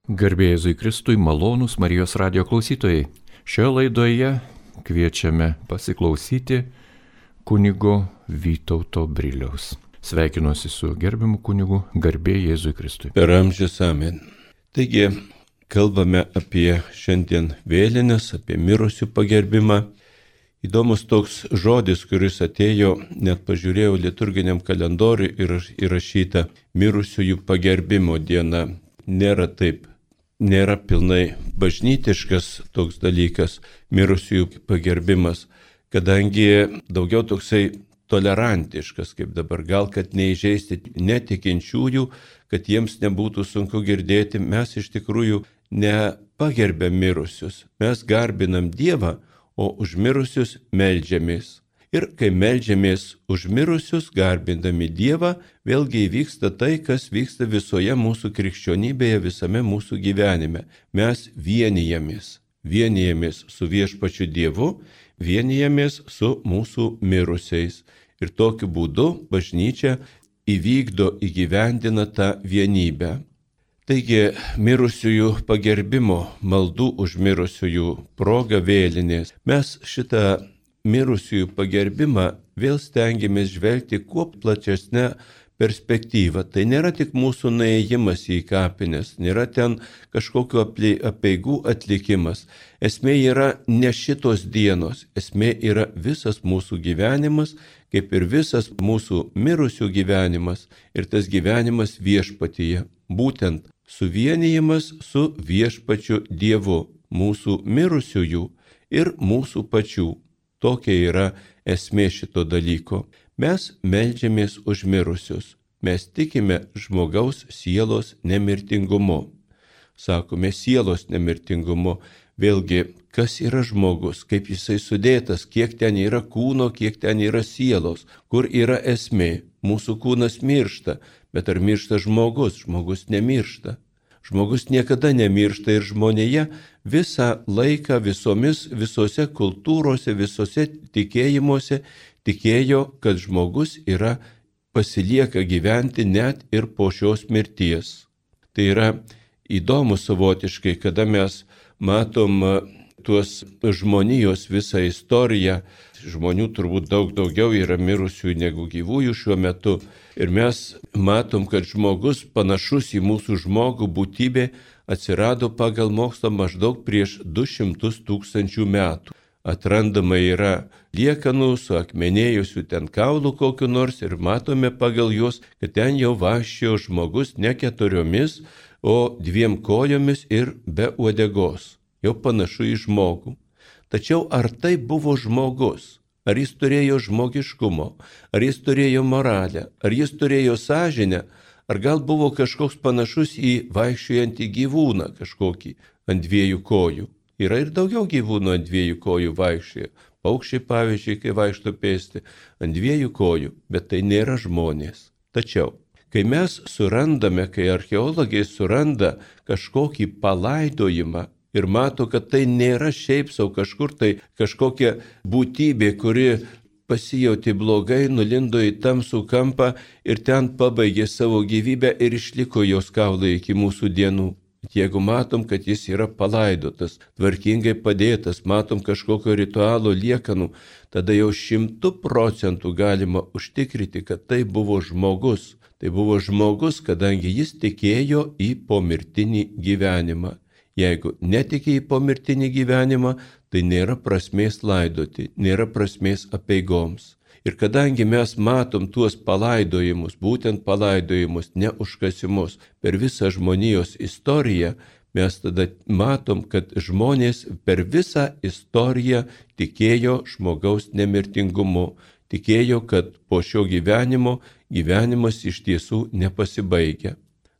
Garbė Jėzui Kristui, malonūs Marijos radijo klausytojai. Šioje laidoje kviečiame pasiklausyti kunigo Vytauto Briliaus. Sveikinuosi su gerbiamu kunigu, garbė Jėzui Kristui. Per amžius amen. Taigi, kalbame apie šiandien vėlines, apie mirusių pagerbimą. Įdomus toks žodis, kuris atėjo, net pažiūrėjau liturginiam kalendoriui ir įrašyta mirusiųjų pagerbimo diena. Nėra pilnai bažnytiškas toks dalykas, mirusiųjų pagerbimas, kadangi daugiau toksai tolerantiškas, kaip dabar, gal kad neįžeisti netikinčiųjų, kad jiems nebūtų sunku girdėti, mes iš tikrųjų nepagerbėm mirusius, mes garbinam Dievą, o už mirusius meldžiamės. Ir kai meldžiamės už mirusius, garbindami Dievą, vėlgi įvyksta tai, kas vyksta visoje mūsų krikščionybėje, visame mūsų gyvenime. Mes vienijamės su viešpačiu Dievu, vienijamės su mūsų mirusiais. Ir tokiu būdu bažnyčia įgyvendina tą vienybę. Taigi, mirusiųjų pagerbimo, maldų už mirusiųjų proga vėlinės, mes šitą mirusiųjų pagerbimą vėl stengiamės žvelgti kuo platesnę perspektyvą. Tai nėra tik mūsų nuėjimas į kapines, nėra ten kažkokiu apeigų atlikimas. Esmė yra ne šitos dienos, esmė yra visas mūsų gyvenimas, kaip ir visas mūsų mirusių gyvenimas ir tas gyvenimas viešpatyje. Būtent suvienijimas su viešpačiu Dievu, mūsų mirusiųjų ir mūsų pačių. Tokia yra esmė šito dalyko. Mes meldžiamės už mirusius. Mes tikime žmogaus sielos nemirtingumu. Sakome sielos nemirtingumu. Vėlgi, kas yra žmogus, kaip jisai sudėtas, kiek ten yra kūno, kiek ten yra sielos, kur yra esmė. Mūsų kūnas miršta, bet ar miršta žmogus? Žmogus nemiršta. Žmogus niekada nemiršta ir žmonėje visą laiką visose kultūrose, visose tikėjimuose tikėjo, kad žmogus pasilieka gyventi net ir po šios mirties. Tai yra įdomu savotiškai, kada mes matom tuos žmonijos visą istoriją. Žmonių turbūt daug daugiau yra mirusių negu gyvųjų šiuo metu. Ir mes matom, kad žmogus panašus į mūsų žmogų būtybė atsirado pagal mokslą maždaug prieš 200 000 metų. Atrandama yra liekanų su akmenėjusiu ten kaulų kokiu nors ir matome pagal juos, kad ten jau vaikščiojo žmogus ne 4, o 2 kojomis ir be uodegos. Jau panašu į žmogų. Tačiau ar tai buvo žmogus? Ar jis turėjo žmogiškumo? Ar jis turėjo moralę? Ar jis turėjo sąžinę? Ar gal buvo kažkoks panašus į vaikščiojantį gyvūną kažkokį ant 2 kojų? Yra ir daugiau gyvūnų ant 2 kojų vaikščioja. Paukščiai, pavyzdžiui, kai vaikšto pėsti, ant 2 kojų, bet tai nėra žmonės. Tačiau, kai mes surandame, kai archeologai suranda kažkokį palaidojimą, ir mato, kad tai nėra šiaip sau kažkur tai kažkokia būtybė, kuri pasijauti blogai, nulindo į tamsų kampą ir ten pabaigė savo gyvybę ir išliko jos kaulai iki mūsų dienų. Jeigu matom, kad jis yra palaidotas, tvarkingai padėtas, matom kažkokio ritualo liekanų, tada jau 100% galima užtikrinti, kad tai buvo žmogus. Tai buvo žmogus, kadangi jis tikėjo į pomirtinį gyvenimą. Jeigu netiki į pomirtinį gyvenimą, tai nėra prasmės laidoti, nėra prasmės apeigoms. Ir kadangi mes matom tuos palaidojimus, būtent palaidojimus, ne užkasimus, per visą žmonijos istoriją, mes tada matom, kad žmonės per visą istoriją tikėjo žmogaus nemirtingumu, tikėjo, kad po šio gyvenimo gyvenimas iš tiesų nepasibaigia.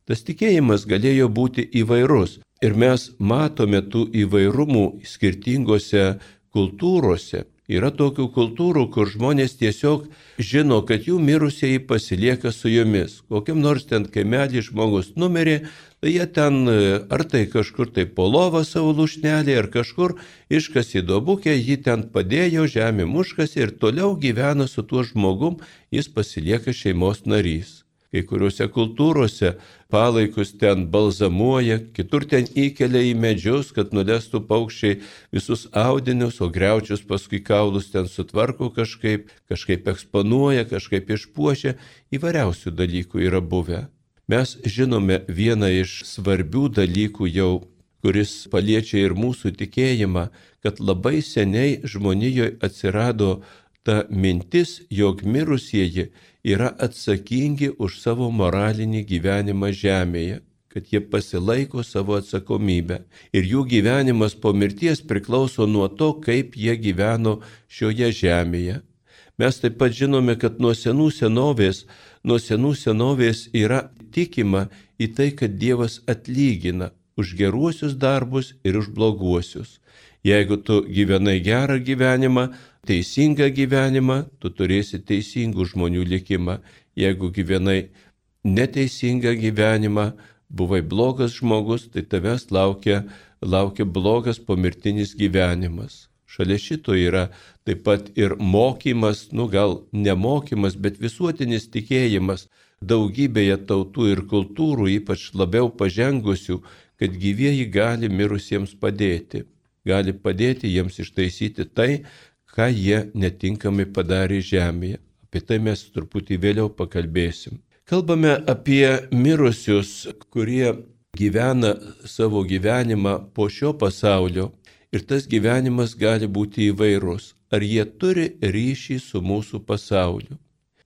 Tas tikėjimas galėjo būti įvairus. Ir mes matome tų įvairumų skirtingose kultūrose. Yra tokių kultūrų, kur žmonės tiesiog žino, kad jų mirusieji pasilieka su jomis. Kokiam nors ten kaimelį žmogus numirė, tai jie ten ar tai kažkur tai po lovą savo lūšnelį, ar kažkur iškasė duobukę, jį ten padėjo, žemė muškasi ir toliau gyvena su tuo žmogum, jis pasilieka šeimos narys. Kai kuriuose kultūrose palaikus ten balzamuoja, kitur ten įkelia į medžius, kad nulestų paukščiai visus audinius, o griaučius paskui kaulus ten sutvarko kažkaip eksponuoja, kažkaip išpuošia, įvairiausių dalykų yra buvę. Mes žinome vieną iš svarbių dalykų jau, kuris paliečia ir mūsų tikėjimą, kad labai seniai žmonijoje atsirado ta mintis, jog mirusieji yra atsakingi už savo moralinį gyvenimą žemėje, kad jie pasilaiko savo atsakomybę. Ir jų gyvenimas po mirties priklauso nuo to, kaip jie gyveno šioje žemėje. Mes taip pat žinome, kad nuo senų senovės yra tikima į tai, kad Dievas atlygina už geruosius darbus ir už bloguosius. Jeigu tu gyvenai gerą gyvenimą, teisingą gyvenimą, tu turėsi teisingų žmonių likimą. Jeigu gyvenai neteisingą gyvenimą, buvai blogas žmogus, tai tavęs laukia blogas pomirtinis gyvenimas. Šalia šito yra taip pat ir mokymas, gal nemokymas, bet visuotinis tikėjimas daugybėje tautų ir kultūrų, ypač labiau pažengusių, kad gyvieji gali mirusiems padėti. Gali padėti jiems ištaisyti tai, ką jie netinkamai padarė žemėje. Apie tai mes truputį vėliau pakalbėsim. Kalbame apie mirusius, kurie gyvena savo gyvenimą po šio pasaulio, ir tas gyvenimas gali būti įvairus. Ar jie turi ryšį su mūsų pasauliu?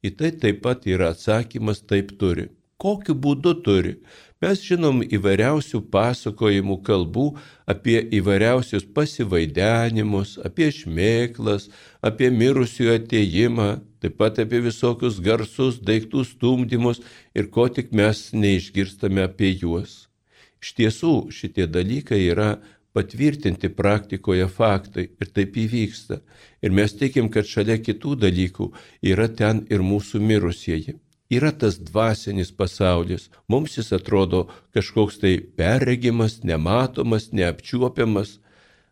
Į tai taip pat yra atsakymas: taip turi. Kokiu būdu turi? Mes žinom įvairiausių pasakojimų kalbų apie įvairiausius pasivaidenimus, apie šmėklas, apie mirusiųjų atėjimą, taip pat apie visokius garsus, daiktų stumdymus ir ko tik mes neišgirstame apie juos. Iš tiesų, šitie dalykai yra patvirtinti praktikoje faktai ir taip įvyksta. Ir mes tikim, kad šalia kitų dalykų yra ten ir mūsų mirusieji. Yra tas dvasinis pasaulis. Mums jis atrodo kažkoks tai perregimas, nematomas, neapčiuopiamas.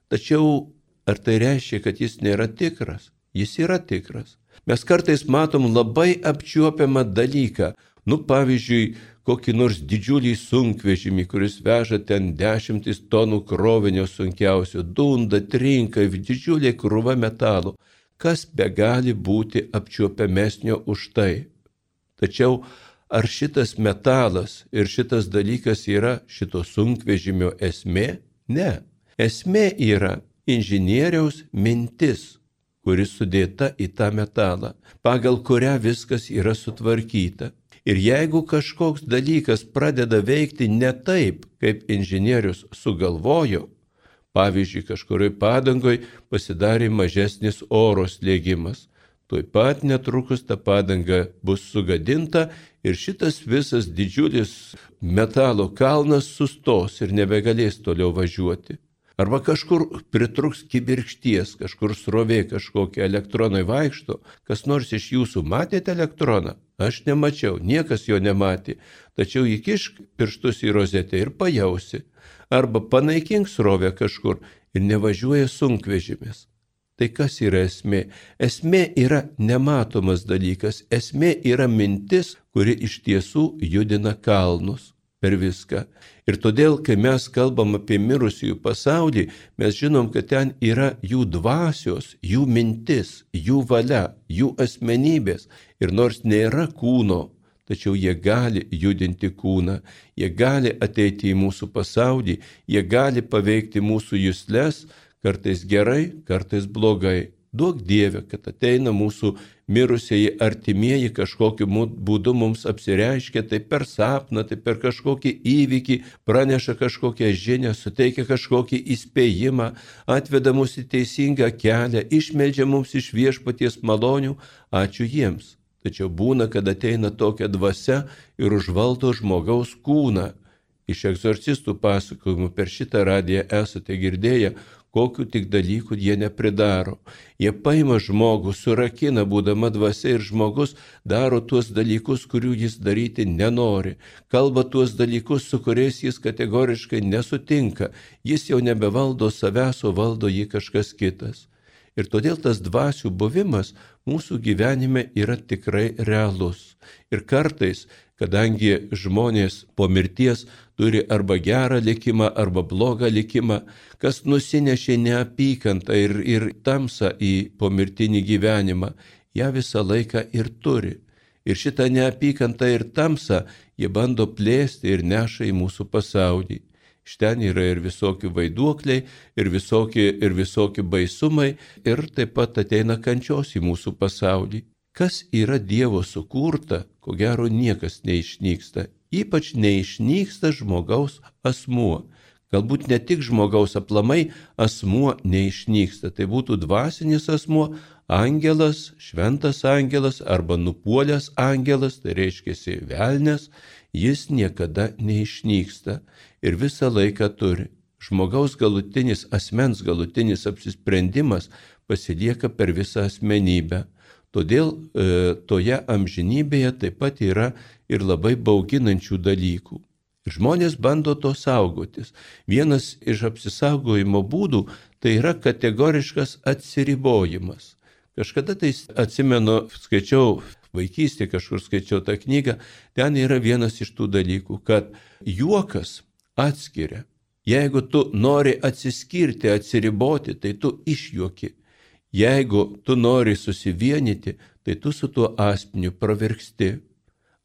Tačiau ar tai reiškia, kad jis nėra tikras? Jis yra tikras. Mes kartais matom labai apčiuopiamą dalyką. Pavyzdžiui, kokį nors didžiulį sunkvežimį, kuris veža ten 10 tonų krovinio sunkiausio, dunda, trinka, didžiulė krūva metalų. Kas begali būti apčiuopiamesnio už tai? Tačiau ar šitas metalas ir šitas dalykas yra šito sunkvežimio esmė? Ne. Esmė yra inžinieriaus mintis, kuris sudėta į tą metalą, pagal kurią viskas yra sutvarkyta. Ir jeigu kažkoks dalykas pradeda veikti ne taip, kaip inžinierius sugalvojo, pavyzdžiui, kažkurioj padangoj pasidarė mažesnis oro slėgimas, tuoj pat netrukus ta padanga bus sugadinta ir šitas visas didžiulis metalo kalnas sustos ir nebegalės toliau važiuoti. Arba kažkur pritruks kibirkšties, kažkur srovė kažkokie elektronai vaikšto. Kas nors iš jūsų matėte elektroną? Aš nemačiau, niekas jo nematė. Tačiau įkišk pirštus į rozetę ir pajausi. Arba panaikink srovę kažkur ir nevažiuoja sunkvežimis. Tai kas yra esmė? Esmė yra nematomas dalykas. Esmė yra mintis, kuri iš tiesų judina kalnus per viską. Ir todėl, kai mes kalbam apie mirusiųjų pasaulį, mes žinom, kad ten yra jų dvasios, jų mintis, jų valia, jų asmenybės. Ir nors nėra kūno, tačiau jie gali judinti kūną, jie gali ateiti į mūsų pasaulį, jie gali paveikti mūsų jusles, kartais gerai, kartais blogai. Duok Dieve, kad ateina mūsų mirusieji artimieji kažkokiu būdu mums apsireiškia, tai per sapną, tai per kažkokį įvykį, praneša kažkokią žinią, suteikia kažkokį įspėjimą, atveda mus į teisingą kelią, išmeldžia mums iš Viešpaties malonių, ačiū jiems. Tačiau būna, kad ateina tokia dvasia ir užvaldo žmogaus kūną. Iš egzorcistų pasakojimų per šitą radiją esate girdėję, kokiu tik dalykų jie nepridaro. Jie paima žmogų, surakina būdama dvasia ir žmogus daro tuos dalykus, kurių jis daryti nenori. Kalba tuos dalykus, su kuriais jis kategoriškai nesutinka. Jis jau nebevaldo savęs, o valdo jį kažkas kitas. Ir todėl tas dvasių buvimas mūsų gyvenime yra tikrai realus. Ir kartais, kadangi žmonės po mirties turi arba gerą likimą, arba blogą likimą, kas nusinešė neapykantą ir tamsą į pomirtinį gyvenimą, ją visą laiką ir turi. Ir šitą neapykantą ir tamsą jie bando plėsti ir neša į mūsų pasaulį. Iš ten yra ir visokių vaiduokliai, ir visokių baisumai, ir taip pat ateina kančios į mūsų pasaulį. Kas yra Dievo sukurta, ko gero niekas neišnyksta. Ypač neišnyksta žmogaus asmuo. Galbūt ne tik žmogaus, aplamai asmuo neišnyksta. Tai būtų dvasinis asmuo, angelas, šventas angelas arba nupuolęs angelas, tai reiškia velnias, jis niekada neišnyksta ir visą laiką turi. Žmogaus asmens galutinis apsisprendimas pasilieka per visą asmenybę. Todėl toje amžinybėje taip pat yra ir labai bauginančių dalykų. Žmonės bando to saugotis. Vienas iš apsisaugojimo būdų tai yra kategoriškas atsiribojimas. Kažkada tai atsimenu, vaikystėje kažkur skaičiau tą knygą, ten yra vienas iš tų dalykų, kad juokas atskiria. Jeigu tu nori atsiskirti, atsiriboti, tai tu išjuoki. Jeigu tu nori susivienyti, tai tu su tuo asmeniu pravirksti.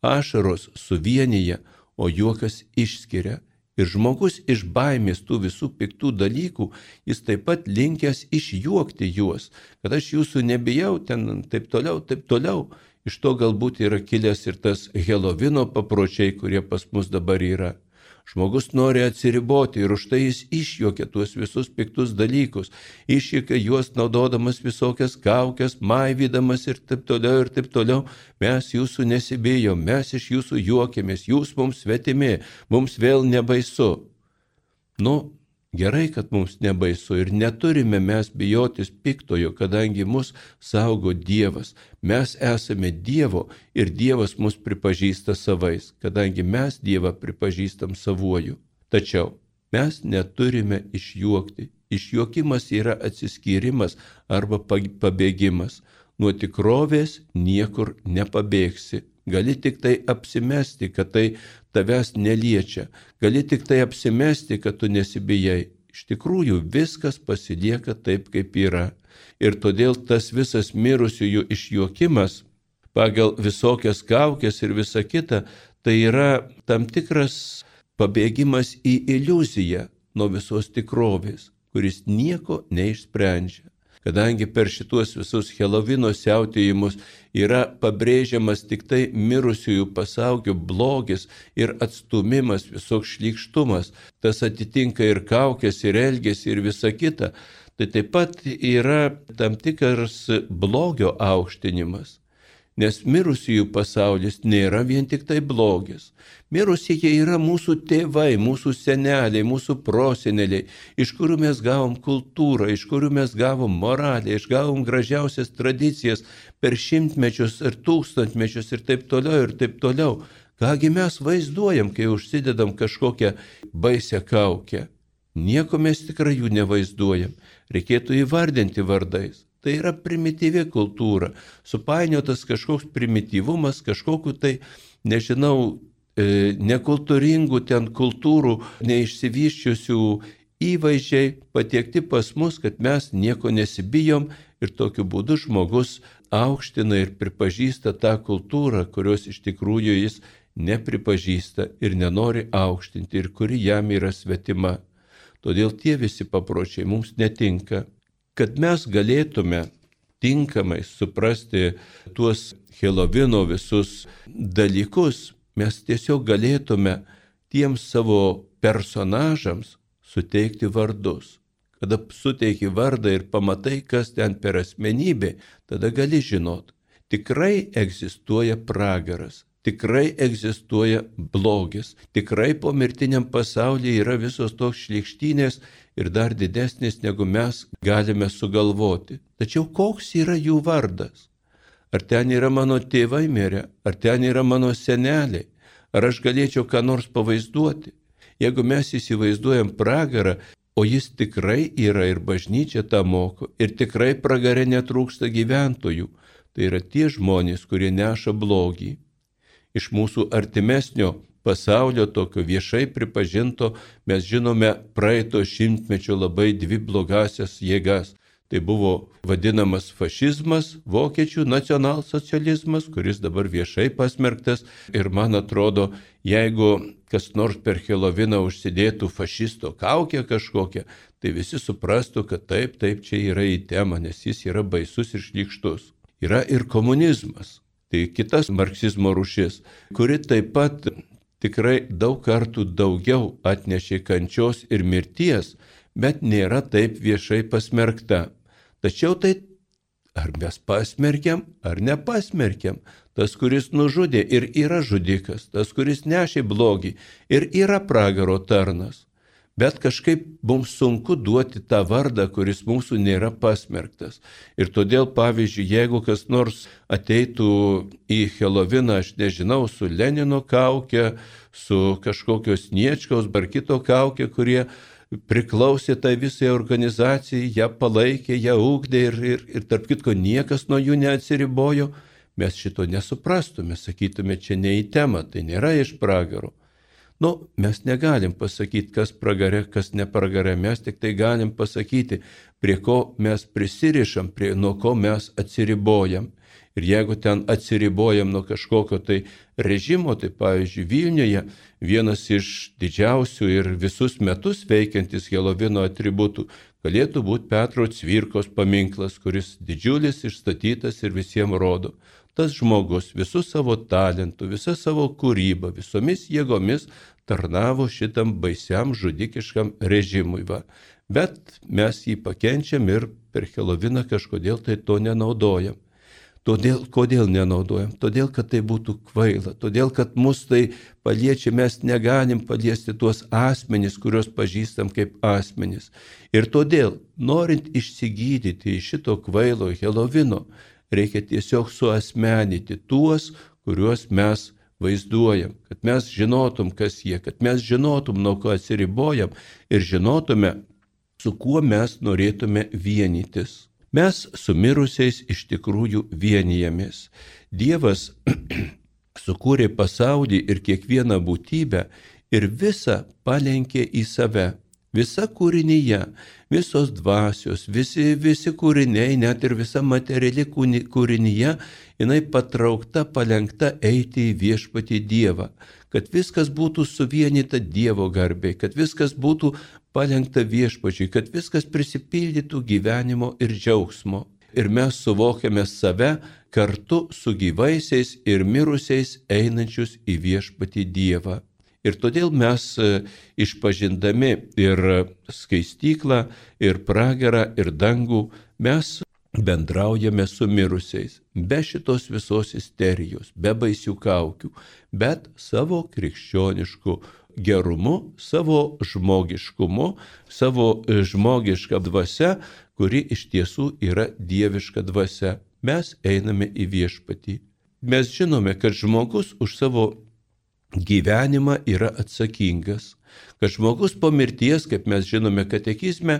Ašaros suvienyje, o juokas išskiria. Ir žmogus iš baimės tų visų piktų dalykų, jis taip pat linkęs išjuokti juos, kad aš jūsų nebijau, ten taip toliau. Iš to galbūt yra kilęs ir tas Helovino papročiai, kurie pas mus dabar yra. Žmogus nori atsiriboti ir už tai jis išjuokia tuos visus piktus dalykus. Išjuokia juos naudodamas visokias kaukes, maivydamas ir taip toliau. Mes jūsų nesibijom, mes iš jūsų juokiamės, jūs mums svetimi, mums vėl nebaisu. Gerai, kad mums nebaisu ir neturime mes bijotis piktojo, kadangi mus saugo Dievas. Mes esame Dievo ir Dievas mus pripažįsta savais, kadangi mes Dievą pripažįstam savuoju. Tačiau mes neturime išjuokti. Išjuokimas yra atsiskyrimas arba pabėgimas. Nuo tikrovės niekur nepabėgsi. Gali tik tai apsimesti, kad tai tavęs neliečia. Gali tik tai apsimesti, kad tu nesibijai. Iš tikrųjų viskas pasilieka taip, kaip yra. Ir todėl tas visas mirusiųjų išjuokimas pagal visokias kaukes ir visa kita, tai yra tam tikras pabėgimas į iliuziją nuo visos tikrovės, kuris nieko neišsprendžia. Kadangi per šituos visus Helovino siautėjimus yra pabrėžiamas tik tai mirusiųjų pasaulio blogis ir atstumimas, visoks šlykštumas, tas atitinka ir kaukės, ir elgesį, ir visa kita, tai taip pat yra tam tikras blogio aukštinimas. Nes mirusiųjų pasaulis nėra vien tik tai blogis. Mirusieji yra mūsų tėvai, mūsų seneliai, mūsų proseneliai, iš kurių mes gavom kultūrą, iš kurių mes gavom moralę, išgavom gražiausias tradicijas per šimtmečius ir tūkstantmečius ir taip toliau. Kągi mes vaizduojam, kai užsidedam kažkokią baisią kaukę? Nieko mes tikrai jų nevaizduojam. Reikėtų įvardinti vardais. Tai yra primityvi kultūra, supainiotas kažkoks primityvumas, kažkokiu tai, nekultūringų ten kultūrų, neišsivyščiusių įvaizdžiai patiekti pas mus, kad mes nieko nesibijom ir tokiu būdu žmogus aukština ir pripažįsta tą kultūrą, kurios iš tikrųjų jis nepripažįsta ir nenori aukštinti ir kuri jam yra svetima. Todėl tie visi papročiai mums netinka. Kad mes galėtume tinkamai suprasti tuos Helovino visus dalykus, mes tiesiog galėtume tiems savo personažams suteikti vardus. Kada suteiki vardą ir pamatai, kas ten per asmenybė, tada gali žinot, tikrai egzistuoja pragaras, tikrai egzistuoja blogis, tikrai pomirtiniam pasaulyje yra visos tos šlykštynės ir dar didesnis, negu mes galime sugalvoti. Tačiau koks yra jų vardas? Ar ten yra mano tėvai mirę? Ar ten yra mano seneliai? Ar aš galėčiau ką nors pavaizduoti? Jeigu mes įsivaizduojam pragarą, O jis tikrai yra ir bažnyčia tą moko, ir tikrai pragare netrūksta gyventojų. Tai yra tie žmonės, kurie neša blogį. Iš mūsų artimesnio pasaulio, tokio viešai pripažinto, mes žinome praeito šimtmečio labai dvi blogasias jėgas. Tai buvo vadinamas fašizmas, vokiečių nacionalsocializmas, kuris dabar viešai pasmerktas. Ir man atrodo, jeigu kas nors per Heloviną užsidėtų fašisto kaukę kažkokią, tai visi suprastų, kad taip, čia yra į temą, nes jis yra baisus ir šlykštus. Yra ir komunizmas. Tai kitas marksizmo rūšis, kuri taip pat tikrai daug kartų daugiau atnešė kančios ir mirties, bet nėra taip viešai pasmerkta. Tačiau tai ar mes pasmerkiam, ar nepasmerkiam. Tas, kuris nužudė ir yra žudikas, tas, kuris nešė blogį ir yra pragaro tarnas. Bet kažkaip mums sunku duoti tą vardą, kuris mūsų nėra pasmerktas. Ir todėl, pavyzdžiui, jeigu kas nors ateitų į Heloviną, aš nežinau, su Lenino kauke, su kažkokios Sniečkaus ar kito kauke, kurie priklausė tai visai organizacijai, ją palaikė, ją ugdė ir tarp kitko niekas nuo jų neatsiribojo, mes šito nesuprastume, sakytume, čia ne į temą, tai nėra iš pragaro. Mes negalim pasakyti, kas pragare, kas ne pragare, mes tik tai galim pasakyti, prie ko mes prisirišam, nuo ko mes atsiribojam. Ir jeigu ten atsiribojam nuo kažkokio tai režimo, tai pavyzdžiui Vilniuje vienas iš didžiausių ir visus metus veikiantis Helovino atributų galėtų būti Petro Cvirkos paminklas, kuris didžiulis, išstatytas ir visiems rodo. Tas žmogus visų savo talentų, visą savo kūrybą, visomis jėgomis tarnavo šitam baisiam žudikiškam režimui. Bet mes jį pakenčiam ir per Heloviną kažkodėl tai to nenaudojam. Kodėl nenaudojam? Todėl, kad tai būtų kvaila, todėl, kad mus tai paliečia, mes negalim paliesti tuos asmenys, kuriuos pažįstam kaip asmenys. Ir todėl, norint išsigydyti iš šito kvailo Helovino, reikia tiesiog suasmenyti tuos, kuriuos mes vaizduojam, kad mes žinotum, kas jie, kad mes žinotum, nuo ko atsiribojam ir žinotume, su kuo mes norėtume vienytis. Mes su mirusiais iš tikrųjų vienijamės. Dievas sukūrė pasaulį ir kiekvieną būtybę ir visą palenkė į save. Visa kūrinyje, visos dvasios, visi kūriniai, net ir visa materiali kūrinyje, jinai patraukta, palenkta eiti į viešpatį Dievą, kad viskas būtų suvienyta Dievo garbei, kad viskas būtų palenkta viešpačiui, kad viskas prisipildytų gyvenimo ir džiaugsmo. Ir mes suvokiame save kartu su gyvaisiais ir mirusiais einančius į viešpatį Dievą. Ir todėl mes išpažindami ir skaistyklą, ir pragarą, ir dangų, mes bendraujame su mirusiais, be šitos visos isterijos, be baisių kaukių, bet savo krikščionišku gerumu, savo žmogiškumu, savo žmogiška dvasia, kuri iš tiesų yra dieviška dvasia. Mes einame į viešpatį. Mes žinome, kad žmogus už savo gyvenimą yra atsakingas, kad žmogus po mirties, kaip mes žinome katekizme,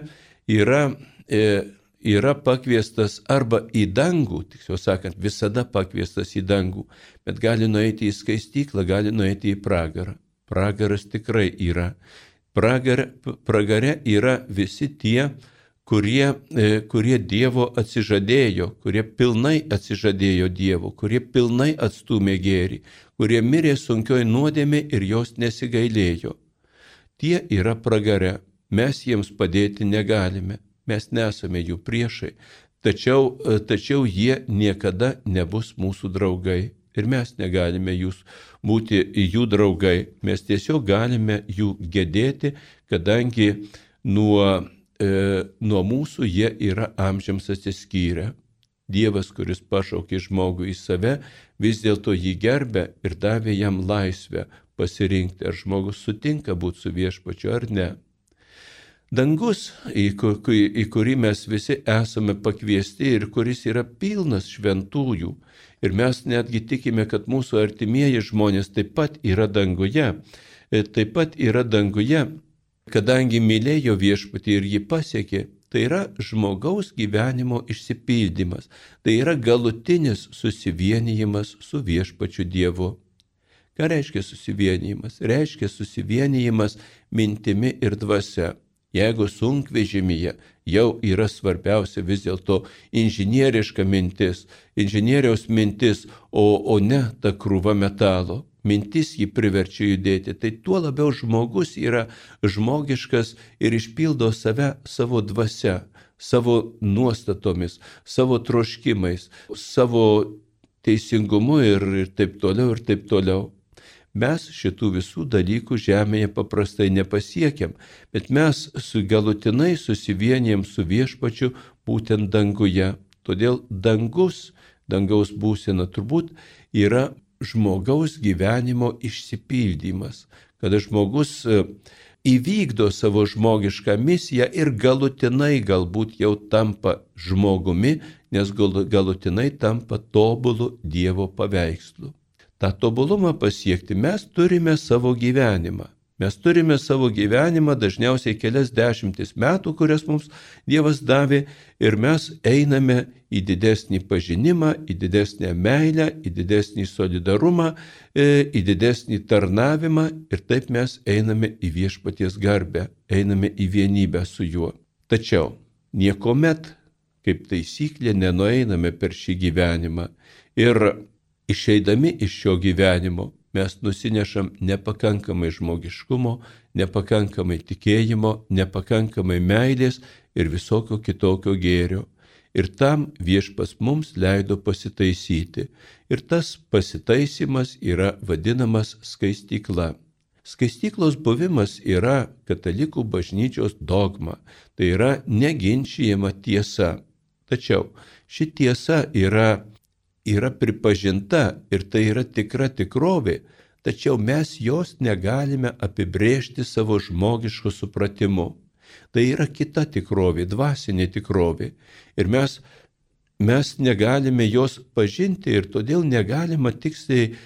yra pakviestas arba į dangų, tiksliau sakant, visada pakviestas į dangų, bet gali nueiti į skaistyklą, gali nueiti į pragarą. Pragaras tikrai yra. Pragare yra visi tie, kurie Dievo atsižadėjo, kurie pilnai atsižadėjo Dievo, kurie pilnai atstūmė gėrį, kurie mirė sunkioj nuodėmė ir jos nesigailėjo. Tie yra pragare, mes jiems padėti negalime, mes nesame jų priešai, tačiau jie niekada nebus mūsų draugai ir mes negalime būti jų draugai, mes tiesiog galime jų gedėti, kadangi nuo mūsų jie yra amžiams atsiskyrę. Dievas, kuris pašaukė žmogų į save, vis dėlto jį gerbė ir davė jam laisvę pasirinkti, ar žmogus sutinka būti su viešpačiu ar ne. Dangus, į kurį mes visi esame pakviesti ir kuris yra pilnas šventųjų, ir mes netgi tikime, kad mūsų artimieji žmonės taip pat yra danguje, kadangi mylėjo viešpatį ir jį pasiekė, tai yra žmogaus gyvenimo išsipildymas, tai yra galutinis susivienijimas su viešpačiu Dievu. Ką reiškia susivienijimas? Reiškia susivienijimas mintimi ir dvasia. Jeigu sunkvežimyje jau yra svarbiausia vis dėlto inžinieriška mintis, inžinieriaus mintis, o ne ta krūva metalo, mintis jį priverčia judėti, tai tuo labiau žmogus yra žmogiškas ir išpildo save savo dvasia, savo nuostatomis, savo troškimais, savo teisingumu ir taip toliau ir taip toliau. Mes šitų visų dalykų žemėje paprastai nepasiekiam, bet mes galutinai susivienijam su viešpačiu būtent danguje. Todėl dangaus būsena turbūt yra žmogaus gyvenimo išsipildymas, kada žmogus įvykdo savo žmogišką misiją ir galutinai galbūt jau tampa žmogumi, nes galutinai tampa tobulu Dievo paveikslu. tą tobulumą pasiekti, mes turime savo gyvenimą. Mes turime savo gyvenimą dažniausiai kelias dešimtis metų, kurias mums Dievas davė, ir mes einame į didesnį pažinimą, į didesnę meilę, į didesnį solidarumą, į didesnį tarnavimą, ir taip mes einame į viešpaties garbę, einame į vienybę su juo. Tačiau niekuomet, kaip taisyklė, nenueiname per šį gyvenimą, ir išeidami iš šio gyvenimo mes nusinešam nepakankamai žmogiškumo, nepakankamai tikėjimo, nepakankamai meilės ir visokio kitokio gėrio. Ir tam Viešpats mums leido pasitaisyti. Ir tas pasitaisymas yra vadinamas skaistykla. Skaistyklos buvimas yra katalikų bažnyčios dogma, tai yra neginčijama tiesa. Tačiau ši tiesa yra pripažinta ir tai yra tikra tikrovė, tačiau mes jos negalime apibrėžti savo žmogišku supratimu. Tai yra kita tikrovė, dvasinė tikrovė. Ir mes negalime jos pažinti ir todėl negalima tiksliai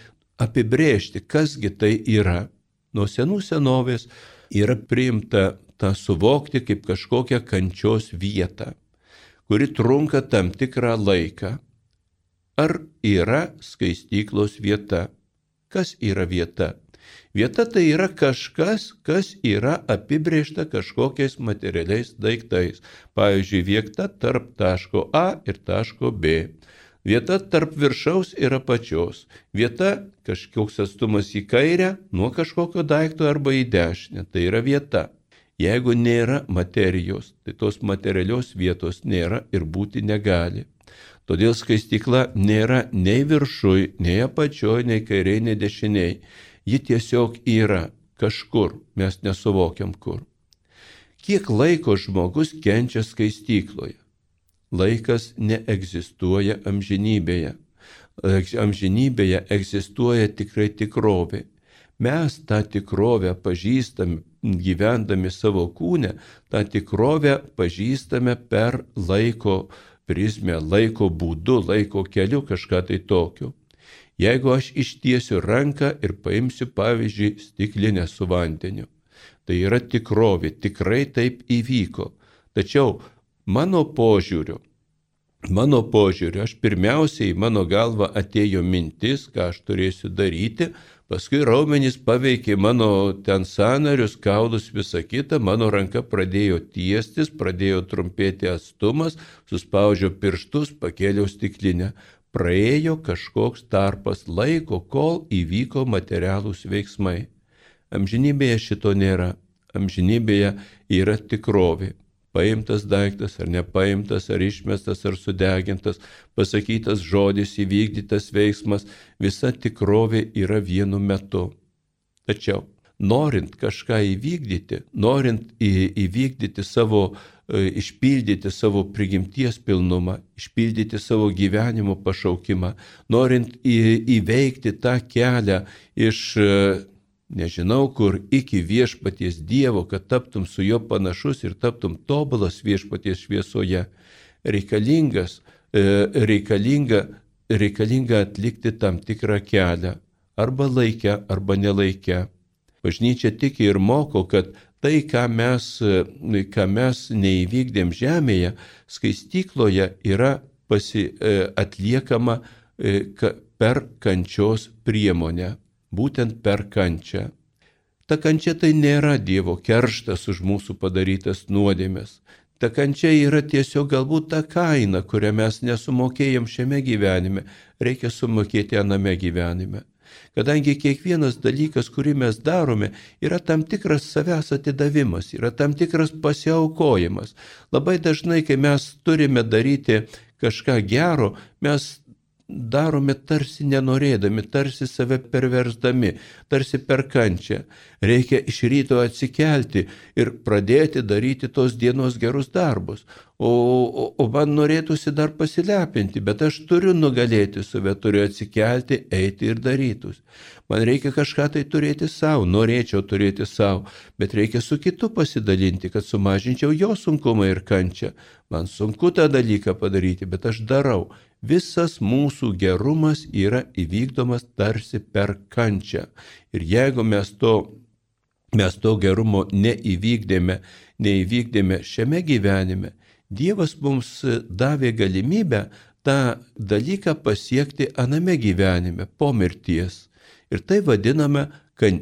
apibrėžti, kasgi tai yra. Nuo senų senovės yra priimta tą suvokti kaip kažkokią kančios vietą, kuri trunka tam tikrą laiką. Ar yra skaistyklos vieta? Kas yra vieta? Vieta tai yra kažkas, kas yra apibrėžta kažkokiais materialiais daiktais. Pavyzdžiui, vieta tarp taško A ir taško B. Vieta tarp viršaus ir apačios. Vieta kažkoks atstumas į kairę nuo kažkokio daikto arba į dešinę. Tai yra vieta. Jeigu nėra materijos, tai tos materialios vietos nėra ir būti negali. Todėl skaistykla nėra nei viršui, nei apačioj, nei kairiai, nei dešiniai. Ji tiesiog yra kažkur, mes nesuvokiam kur. Kiek laiko žmogus kenčia skaistykloje? Laikas neegzistuoja amžinybėje. Amžinybėje egzistuoja tikrai tikrovė. Mes tą tikrovę pažįstame, gyvendami savo kūne, tą tikrovę pažįstame per laiko prizmę, laiko būdu, laiko keliu, kažką tai tokio. Jeigu aš ištiesiu ranką ir paimsiu, pavyzdžiui, stiklinę su vandeniu, tai yra tikrovė, tikrai taip įvyko. Tačiau mano požiūriu, aš pirmiausiai mano galva atėjo mintis, ką aš turėsiu daryti, paskui raumenys paveikė mano ten sąnarius, kaulus, visą kitą, mano ranka pradėjo tiestis, pradėjo trumpėti atstumas, suspaudžiau pirštus, pakėliau stiklinę. Praėjo kažkoks tarpas laiko, kol įvyko materialūs veiksmai. Amžinybėje šito nėra. Amžinybėje yra tikrovė. Paimtas daiktas ar nepaimtas, ar išmestas, ar sudegintas, pasakytas žodis, įvykdytas veiksmas, visa tikrovė yra vienu metu. Tačiau, norint kažką įvykdyti, norint įvykdyti savo, išpildyti savo prigimties pilnumą, išpildyti savo gyvenimo pašaukimą, norint įveikti tą kelią iš nežinau kur iki viešpaties Dievo, kad taptum su juo panašus ir taptum tobulas viešpaties šviesoje, reikalinga atlikti tam tikrą kelią, arba laikę, arba nelaikę. Bažnyčia tiki ir moko, kad tai, ką mes neįvykdėm žemėje, skaistykloje yra atliekama per kančios priemonę, būtent per kančią. Ta kančia tai nėra Dievo kerštas už mūsų padarytas nuodėmes. Ta kančia yra tiesiog galbūt ta kaina, kurią mes nesumokėjom šiame gyvenime, reikia sumokėti aname gyvenime. Kadangi kiekvienas dalykas, kurį mes darome, yra tam tikras savęs atidavimas, yra tam tikras pasiaukojimas. Labai dažnai, kai mes turime daryti kažką gero, mes darome tarsi nenorėdami, tarsi save perversdami, tarsi per kančią. Reikia iš ryto atsikelti ir pradėti daryti tos dienos gerus darbus. O man norėtųsi dar pasilepinti, bet aš turiu nugalėti save, turiu atsikelti, eiti ir darytus. Man reikia kažką tai turėti savo, norėčiau turėti savo, bet reikia su kitu pasidalinti, kad sumažinčiau jo sunkumą ir kančią. Man sunku tą dalyką padaryti, bet aš darau. Visas mūsų gerumas yra įvykdomas tarsi per kančią. Ir jeigu mes to gerumo neįvykdėme šiame gyvenime, Dievas mums davė galimybę tą dalyką pasiekti aname gyvenime, po mirties. Ir tai vadiname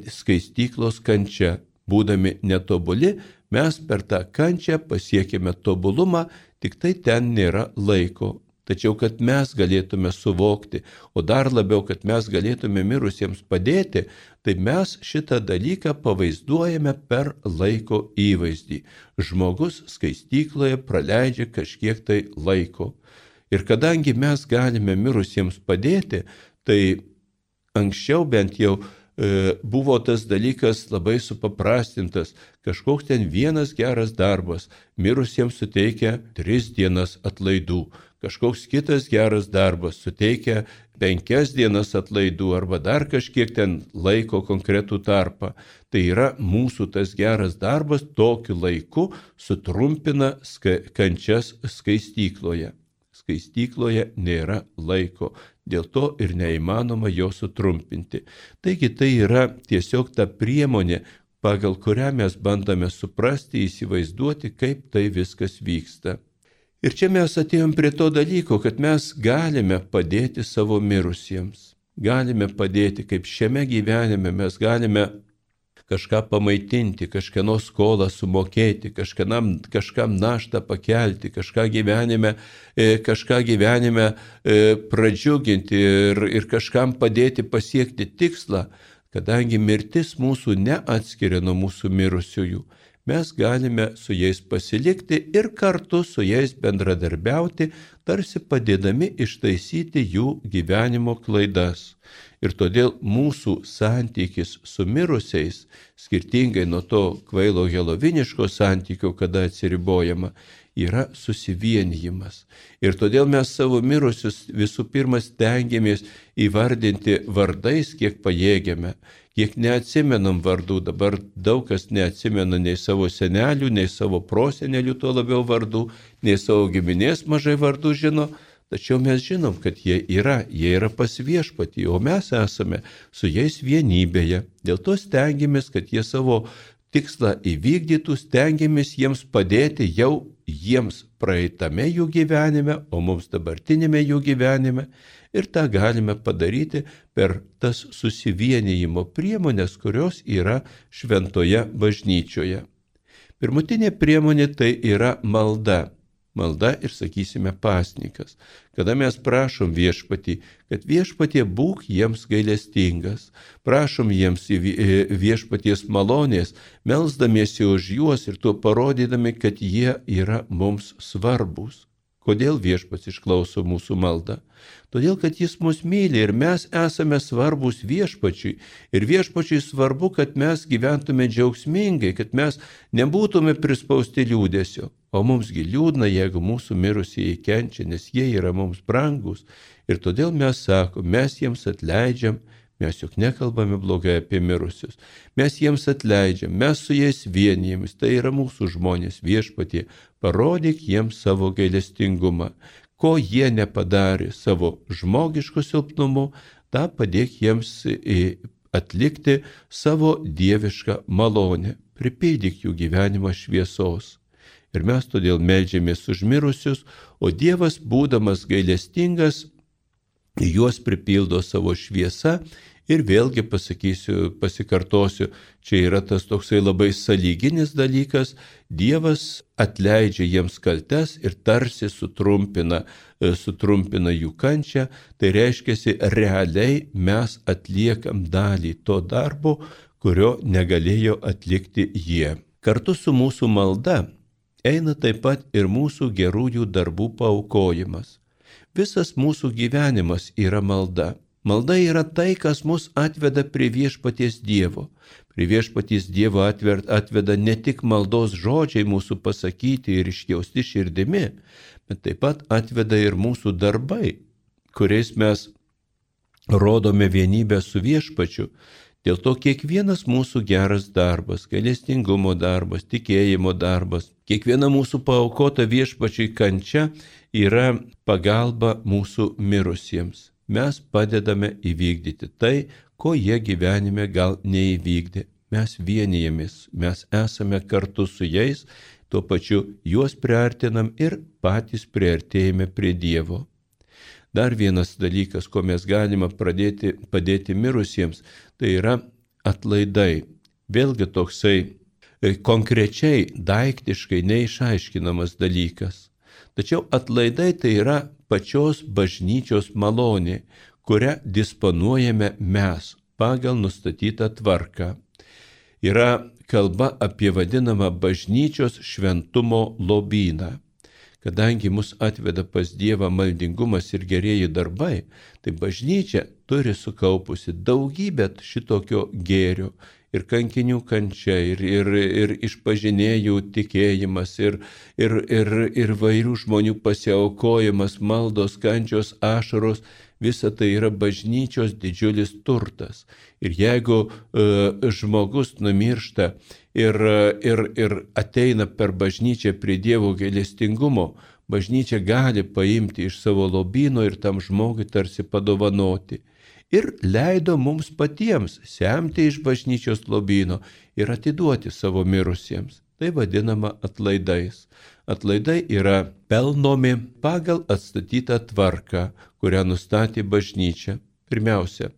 skaistyklos kančia. Būdami netobuli, mes per tą kančią pasiekėme tobulumą, tik tai ten nėra laiko. Tačiau, kad mes galėtume suvokti, o dar labiau, kad mes galėtume mirusiems padėti, tai mes šitą dalyką pavaizduojame per laiko įvaizdį. Žmogus skaistykloje praleidžia kažkiek tai laiko. Ir kadangi mes galime mirusiems padėti, tai anksčiau bent jau buvo tas dalykas labai supaprastintas. Kažkoks ten vienas geras darbas mirusiems suteikia 3 dienas atlaidų. Kažkoks kitas geras darbas suteikia 5 dienas atlaidų arba dar kažkiek ten laiko konkretų tarpą. Tai yra mūsų tas geras darbas tokiu laiku sutrumpina kančias skaistykloje. Skaistykloje nėra laiko, dėl to ir neįmanoma jo sutrumpinti. Taigi tai yra tiesiog ta priemonė, pagal kurią mes bandome suprasti, įsivaizduoti, kaip tai viskas vyksta. Ir čia mes atėjom prie to dalyko, kad mes galime padėti savo mirusiems. Galime padėti, kaip šiame gyvenime mes galime kažką pamaitinti, kažkieno skolą sumokėti, kažkam naštą pakelti, kažką gyvenime pradžiuginti ir kažkam padėti pasiekti tikslą, kadangi mirtis mūsų neatskiria nuo mūsų mirusiųjų. Mes galime su jais pasilikti ir kartu su jais bendradarbiauti, tarsi padėdami ištaisyti jų gyvenimo klaidas. Ir todėl mūsų santykis su mirusiais, skirtingai nuo to kvailo heloviniško santykio, kada atsiribojama, yra susivienijimas. Ir todėl mes savo mirusius visų pirma stengiamės įvardinti vardais, kiek pajėgiame. Kiek neatsimenam vardų, dabar daug kas neatsimena nei savo senelių, nei savo prosenelių, tuo labiau vardų, nei savo giminės mažai vardų žino, tačiau mes žinom, kad jie yra pas Viešpatį, o mes esame su jais vienybėje. Dėl to stengiamės, kad jie savo tikslą įvykdytų, stengiamės jiems padėti jau jiems praeitame jų gyvenime, o mums dabartinėme jų gyvenime. Ir tą galime padaryti per tas susivienijimo priemonės, kurios yra šventoje bažnyčioje. Pirmutinė priemonė tai yra malda. Malda ir, sakysime, pasninkas. Kada mes prašom Viešpatį, kad Viešpatie būk jiems gailestingas, prašom jiems Viešpaties malonės, melsdamiesi už juos ir tuo parodydami, kad jie yra mums svarbus. Kodėl Viešpats išklauso mūsų maldą? Todėl, kad jis mus myli ir mes esame svarbus Viešpačiui. Ir Viešpačiui svarbu, kad mes gyventume džiaugsmingai, kad mes nebūtume prispausti liūdesio. O mumsgi liūdna, jeigu mūsų mirusieji kenčia, nes jie yra mums brangus. Ir todėl mes sakom, mes jiems atleidžiam. Mes juk nekalbame blogai apie mirusius. Mes jiems atleidžiam, mes su jais vienijamės, tai yra mūsų žmonės Viešpatie. Parodyk jiems savo gailestingumą. Ko jie nepadarė savo žmogišku silpnumu, tą padėk jiems atlikti savo dievišką malonę. pripildyk jų gyvenimą šviesos. Ir mes todėl meldžiamės už mirusius, o Dievas, būdamas gailestingas, juos pripildo savo šviesą. Ir vėlgi pasikartosiu, čia yra tas toksai labai sąlyginis dalykas, Dievas atleidžia jiems kaltes ir tarsi sutrumpina jų kančią, tai reiškia, realiai mes atliekam dalį to darbo, kurio negalėjo atlikti jie. Kartu su mūsų malda eina taip pat ir mūsų gerųjų darbų paaukojimas. Visas mūsų gyvenimas yra malda. Malda yra tai, kas mus atveda prie viešpaties Dievo. Prie viešpaties Dievo atveda ne tik maldos žodžiai mūsų pasakyti ir išjausti širdimi, bet taip pat atveda ir mūsų darbai, kuriais mes rodome vienybę su viešpačiu. Dėl to kiekvienas mūsų geras darbas, gailestingumo darbas, tikėjimo darbas, kiekviena mūsų paaukota viešpačiui kančia yra pagalba mūsų mirusiems. Mes padedame įvykdyti tai, ko jie gyvenime gal neįvykdė. Mes vienijamės, mes esame kartu su jais, tuo pačiu juos priartinam ir patys priartėjame prie Dievo. Dar vienas dalykas, ko mes galime padėti mirusiems, tai yra atlaidai. Vėlgi toksai konkrečiai, daiktiškai neišaiškinamas dalykas. Tačiau atlaidai tai yra pačios bažnyčios malonė, kurią disponuojame mes pagal nustatytą tvarką. Yra kalba apie vadinamą bažnyčios šventumo lobyną. Kadangi mus atveda pas Dievą maldingumas ir gerieji darbai, tai bažnyčia turi sukaupusi daugybę šitokio gėrio. Ir kankinių kančia, ir išpažinėjų tikėjimas, ir vairių žmonių pasiaukojimas, maldos, kančios, ašaros, visa tai yra bažnyčios didžiulis turtas. Ir jeigu žmogus numiršta ir ateina per bažnyčią prie Dievo gailestingumo, bažnyčia gali paimti iš savo lobyno ir tam žmogui tarsi padovanoti. Ir leido mums patiems semti iš bažnyčios lobyno ir atiduoti savo mirusiems. Tai vadinama atlaidais. Atlaidai yra pelnomi pagal atstatytą tvarką, kurią nustatė bažnyčia. Pirmiausia,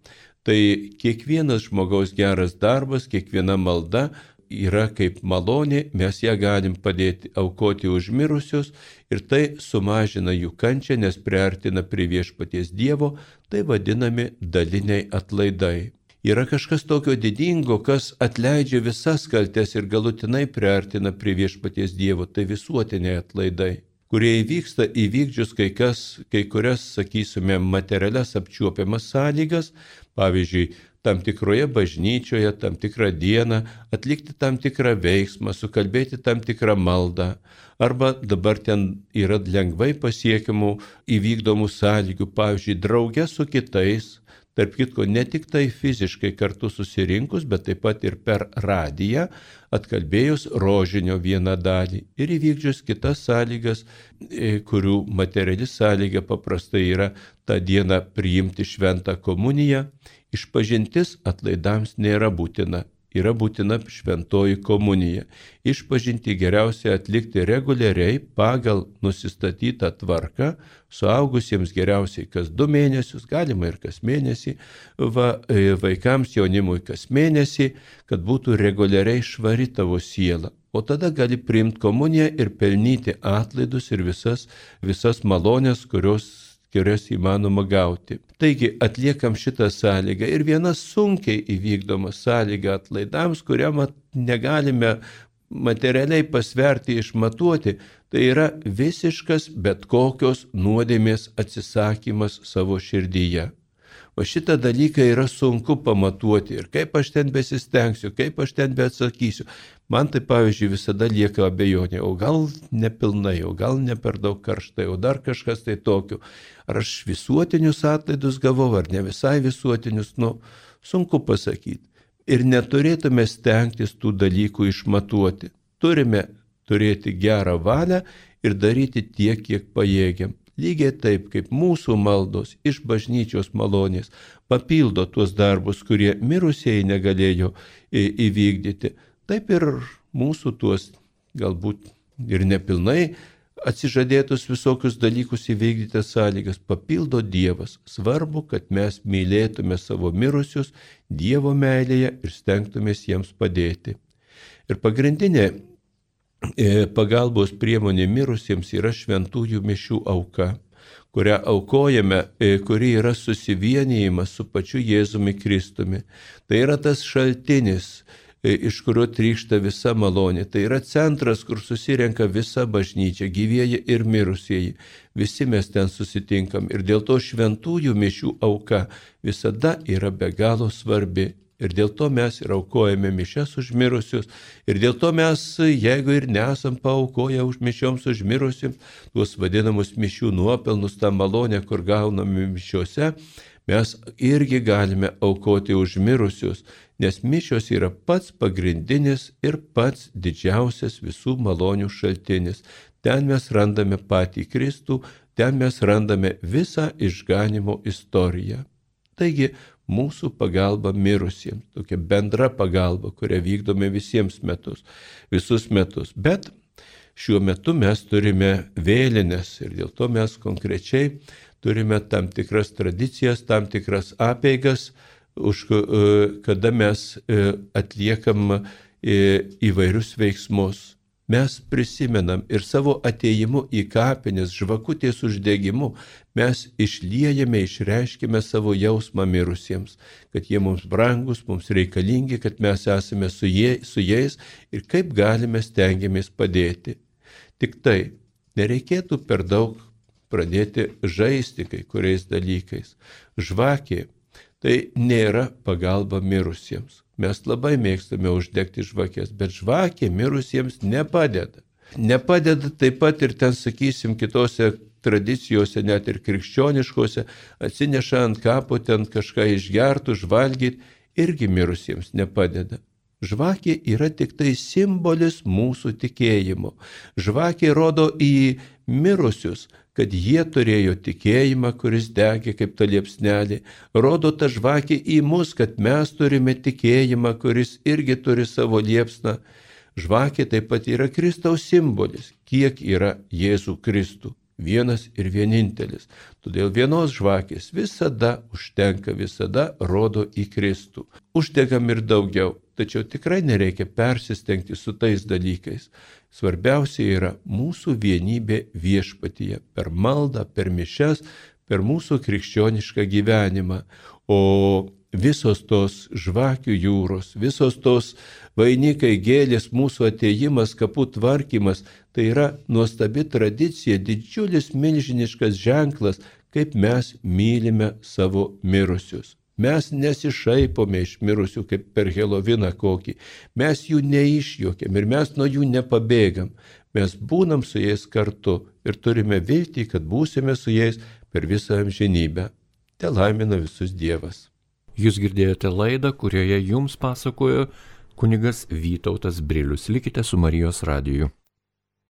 tai kiekvienas žmogaus geras darbas, kiekviena malda yra kaip malonė, mes ją galim padėti aukoti už mirusius ir tai sumažina jų kančią, nes priartina prie viešpaties Dievo, tai vadinami daliniai atlaidai. Yra kažkas tokio didingo, kas atleidžia visas kaltes ir galutinai priartina prie viešpaties Dievo, tai visuotiniai atlaidai, kurie įvyksta įvykdžius kai kurias, sakysime, materialias apčiuopiamas sąlygas, pavyzdžiui, tam tikroje bažnyčioje, tam tikrą dieną, atlikti tam tikrą veiksmą, sukalbėti tam tikrą maldą, arba dabar ten yra lengvai pasiekiamų įvykdomų sąlygų, pavyzdžiui, drauge su kitais, tarp kitko ne tik tai fiziškai kartu susirinkus, bet taip pat ir per radiją, atkalbėjus rožinio vieną dalį ir įvykdžius kitas sąlygas, kurių materiali sąlyga paprastai yra tą dieną priimti šventą komuniją. Išpažintis atlaidams nėra būtina, yra būtina šventoji komunija. Išpažinti geriausia atlikti reguliariai pagal nusistatytą tvarką, suaugusiems geriausiai kas 2 mėnesius, galima ir kas mėnesį, vaikams jaunimui kas mėnesį, kad būtų reguliariai švari tavo siela. O tada gali priimti komuniją ir pelnyti atlaidus ir visas malonės, kurios įmanoma gauti. Taigi atliekam šitą sąlygą ir viena sunkiai įvykdoma sąlyga atlaidams, kurią negalime materialiai pasverti, išmatuoti, tai yra visiškas bet kokios nuodėmės atsisakymas savo širdyje. O šitą dalyką yra sunku pamatuoti ir kaip aš ten besistengsiu, kaip aš ten beatsakysiu. Man tai, pavyzdžiui, visada lieka abejonė, o gal nepilnai, o gal ne per daug karštai, o dar kažkas tai tokio. Ar aš visuotinius atlaidus gavau, ar ne visai visuotinius, sunku pasakyti. Ir neturėtume stengtis tų dalykų išmatuoti. Turime turėti gerą valią ir daryti tiek, kiek pajėgiam. Lygiai taip, kaip mūsų maldos iš bažnyčios malonės papildo tuos darbus, kurie mirusieji negalėjo įvykdyti. taip ir mūsų tuos galbūt ir nepilnai atsižadėtus visokius dalykus įvykdyti sąlygas papildo Dievas. Svarbu, kad mes mylėtume savo mirusius Dievo meilėje ir stengtumės jiems padėti. Ir pagrindinė pagalbos priemonė mirusiems yra šventųjų mišių auka, kurią aukojame, kuri yra susivienijimas su pačiu Jėzumi Kristumi. Tai yra tas šaltinis, iš kurio trykšta visa malonė. Tai yra centras, kur susirenka visa bažnyčia, gyvieji ir mirusieji. Visi mes ten susitinkam ir dėl to šventųjų mišių auka visada yra be galo svarbi. Ir dėl to mes ir aukojame mišias už mirusius. Ir dėl to mes, jeigu ir nesam paaukoję už mišioms už mirusius, tuos vadinamus mišių nuopelnus, tą malonę, kur gauname mišiuose, mes irgi galime aukoti už mirusius, nes mišios yra pats pagrindinis ir pats didžiausias visų malonių šaltinis. Ten mes randame patį Kristų, ten mes randame visą išganimo istoriją. Taigi, mūsų pagalba mirusiems, tokia bendra pagalba, kurią vykdome visus metus. Bet šiuo metu mes turime vėlines ir dėl to mes konkrečiai turime tam tikras tradicijas, tam tikras apeigas, kada mes atliekam įvairius veiksmus. Mes prisimenam ir savo atėjimu į kapines, žvakutės uždegimu, mes išliejame, išreiškime savo jausmą mirusiems, kad jie mums brangus, mums reikalingi, kad mes esame su jais ir kaip galime stengiamės padėti. Tik tai nereikėtų per daug pradėti žaisti kai kuriais dalykais. Žvakė tai nėra pagalba mirusiems. Mes labai mėgstame uždegti žvakės, bet žvakė mirusiems nepadeda. Nepadeda taip pat ir ten, sakysim, kitose tradicijose, net ir krikščioniškose, atsineša ant kapo ten kažką išgertų, žvalgyti, irgi mirusiems nepadeda. Žvakė yra tik tai simbolis mūsų tikėjimo. Žvakė rodo į mirusius, kad jie turėjo tikėjimą, kuris degė kaip ta liepsnelė. Rodo ta žvakė į mus, kad mes turime tikėjimą, kuris irgi turi savo liepsną. Žvakė taip pat yra Kristaus simbolis, kiek yra Jėzų Kristų. Vienas ir vienintelis. Todėl vienos žvakės visada užtenka, visada rodo į Kristų. Uždegam ir daugiau, tačiau tikrai nereikia persistengti su tais dalykais. Svarbiausia yra mūsų vienybė viešpatyje, per maldą, per mišias, per mūsų krikščionišką gyvenimą. O visos tos žvakių jūros, visos tos vainikai, gėlės, mūsų atėjimas, kapų tvarkymas, tai yra nuostabi tradicija, didžiulis milžiniškas ženklas, kaip mes mylime savo mirusius. Mes nesišaipome iš mirusių kaip per Heloviną kokį, mes jų neišjuokiam ir mes nuo jų nepabėgam. Mes būnam su jais kartu ir turime viltį, kad būsime su jais per visą amžinybę. Te laimina visus Dievas. Jūs girdėjote laidą, kurioje jums pasakojo kunigas Vytautas Brilius. Likite su Marijos radiju.